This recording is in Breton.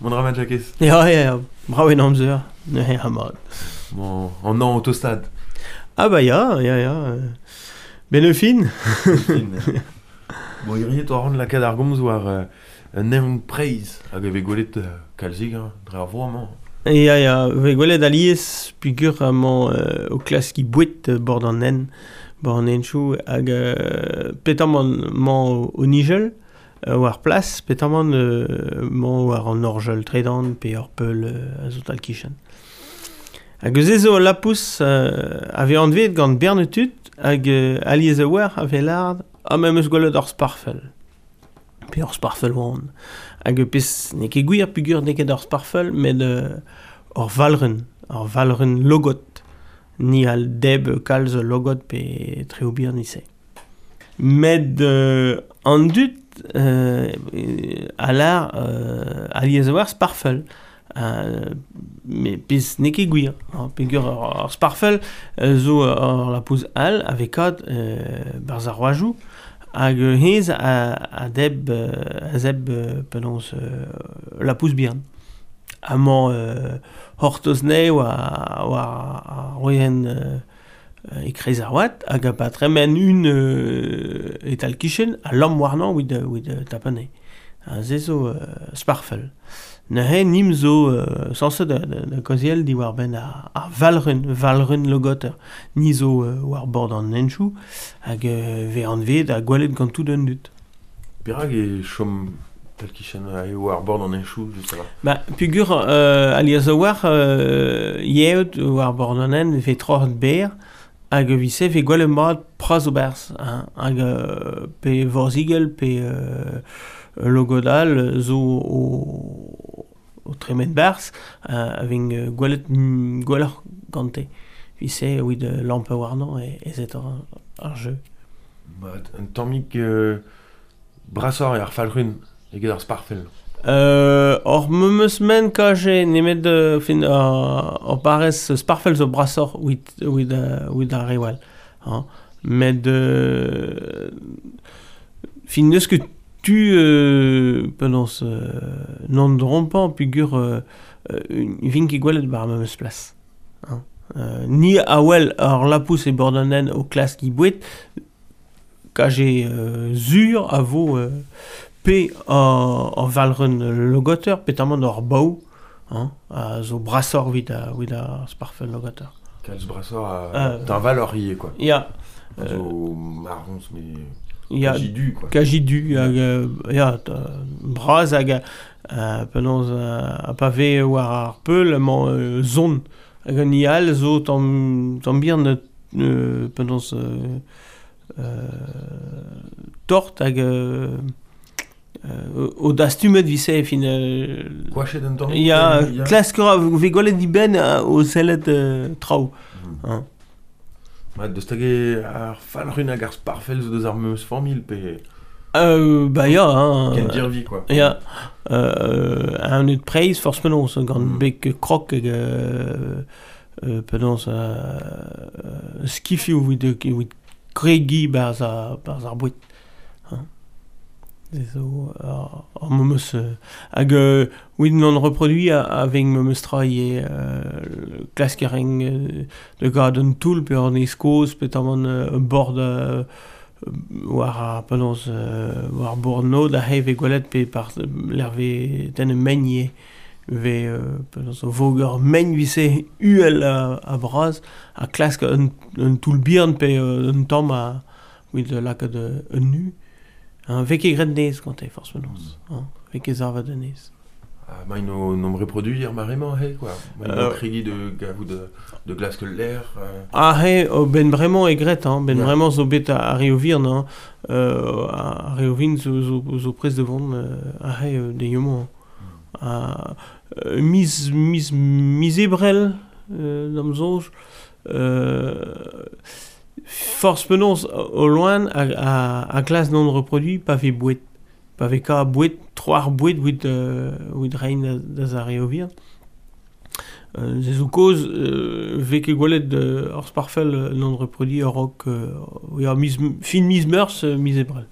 Mont ra mat, Jakez? Ya, ya, ya, brav en amzer, neuze ha mat. Bon, an an autostad. Ah bah ya, ya, ya. Ben e fin. Bon, hirie to ran lakaat ar gomz war un evn preizh hag e vez gwelet kalzik hein, dre ar vro amañ. Ya, ya, vez gwelet alies peogwir amañ o klaskiñ boued bord an hent, bord an henchoù hag petamant 'mañ o nijel war plas petamant 'mañ war an orjal tredan pe ur peul a zo tal-kichen. Hag eus se zo ul lapous a vez anveet gant bern tud hag alies a-walc'h a vez lâret ah me 'm eus gwelet ur sparfell pe ur sparfell oan. Hag pezh n'eo ket gwir peogwir n'eo ket ur sparfell met ur valc'hun, ur valc'hun logod. Ni a debr kalz logod pe traoù bihan e-se. Met an dud a lâr alies a-walc'h sparfell. Met pezh n'eo ket gwir hein, peogwir ar sparfell zo ur lapous all a vez kavet 'barzh ar c'hoajoù hag hennezh a debr a zebr penaos lapous bihan. Amañ c'hortoz anezhe war ar wezenn e-kreiz ar oad hag pa tremen un e-tal-kichen a lamm warnañ evit tap anezhe. Ha se zo sparfell. Neuze nimp zo sañset da kaozeal diwar-benn ar valc'hun, valc'hun logoter. Ni zo war bord an henchoù hag 'vez anveet ha gwelet gant tout an dud. Perak e chom tal-kichen eo war bord an henchoù just a-walc'h? Ba peogwir alies a-walc'h yeot war bord an hent e vez troc'het berr hag evit-se e vez gwelet mat pras o berzh hein, hag pe vorzhigell pe logod all zo o tremen 'barzh a vez gwelet gwelloc'h gante. Evit-se evit lampat warnañ ez eo ar jeu. Mat, un tammig brasoc'h eo ar falc'hun eget ar sparfell. Hor memes ment kaje nemet fin hor parrez sparfell zo brasoc'h evit ar reoù all hañ. Met fin n'eus ket tu penaos n'on drompañ peogwir 'vin ket gwelet 'ba ar memes plas hañ. Ni a wel ur lapous e bord an hent o klask he boued Kaje sur a vo pe ur valc'hun logoter petamant ur bav hein, a zo brasoc'h evit evit ar sparfell logoter. Kalz brasoc'h ha teñvaloc'h ivez quoi. Ya. A zo marrons mais Ya, kaji du quoi. Kaji du hag ya, bras hag penaos ha pa vez war ar peul emañ sonn hag an hini all zo tamm tamm bihan penaos tort hag o dastumet 'vise fin Koachet un tamm Ya, klask a ra 'vez gwelet dibenn o sellet traoù. Hein. Ma, deus hag ar falc'hun hag ar sparfell zo deus ar memes familh pe Bah ya hein. Kendirvi quoi. Ya. Un neud preizh forzh penaos gant beg krok hag penaos skifioù evit kregiñ 'barzh ar boued hein. Se zo ar memes hag evit non reproduiñ a-vez memes tra ivez klask a rin da gaout un toull pe an kozh peotramant bord war ar penaos war bord nod aze e vez gwelet pe lec'h 'vez tennet mein ivez. 'Vez penaos o voger mein 'vise uhel ha bras ha klask un toull bihan pe un tamm evit lakaat un nu. Hein, 'vez ket graet nez gante forzh penaos hein, 'vez ket savet anezhe. Ah, ma int o reproduiñ ar mare-mañ aze quoi. Ma int o kregiñ da gavout da glask ul lec'h. Aze ben bremañ eo graet hein, ben bremañ zo bet ar re o vihan hein, ar re o vin zo prest da vont aze dezho-mañ. Miz miz miz Ebrel d'am soñj forzh penaos o loen a glask non reproduiñ pa vez boued pa vez kav boued tro ar boued evit evit reiñ da ar re o vihan. Se zo kaoz 'vez ket gwelet ur sparfell non reproduiñ a-raok ya miz fin miz Meurzh miz Ebrel.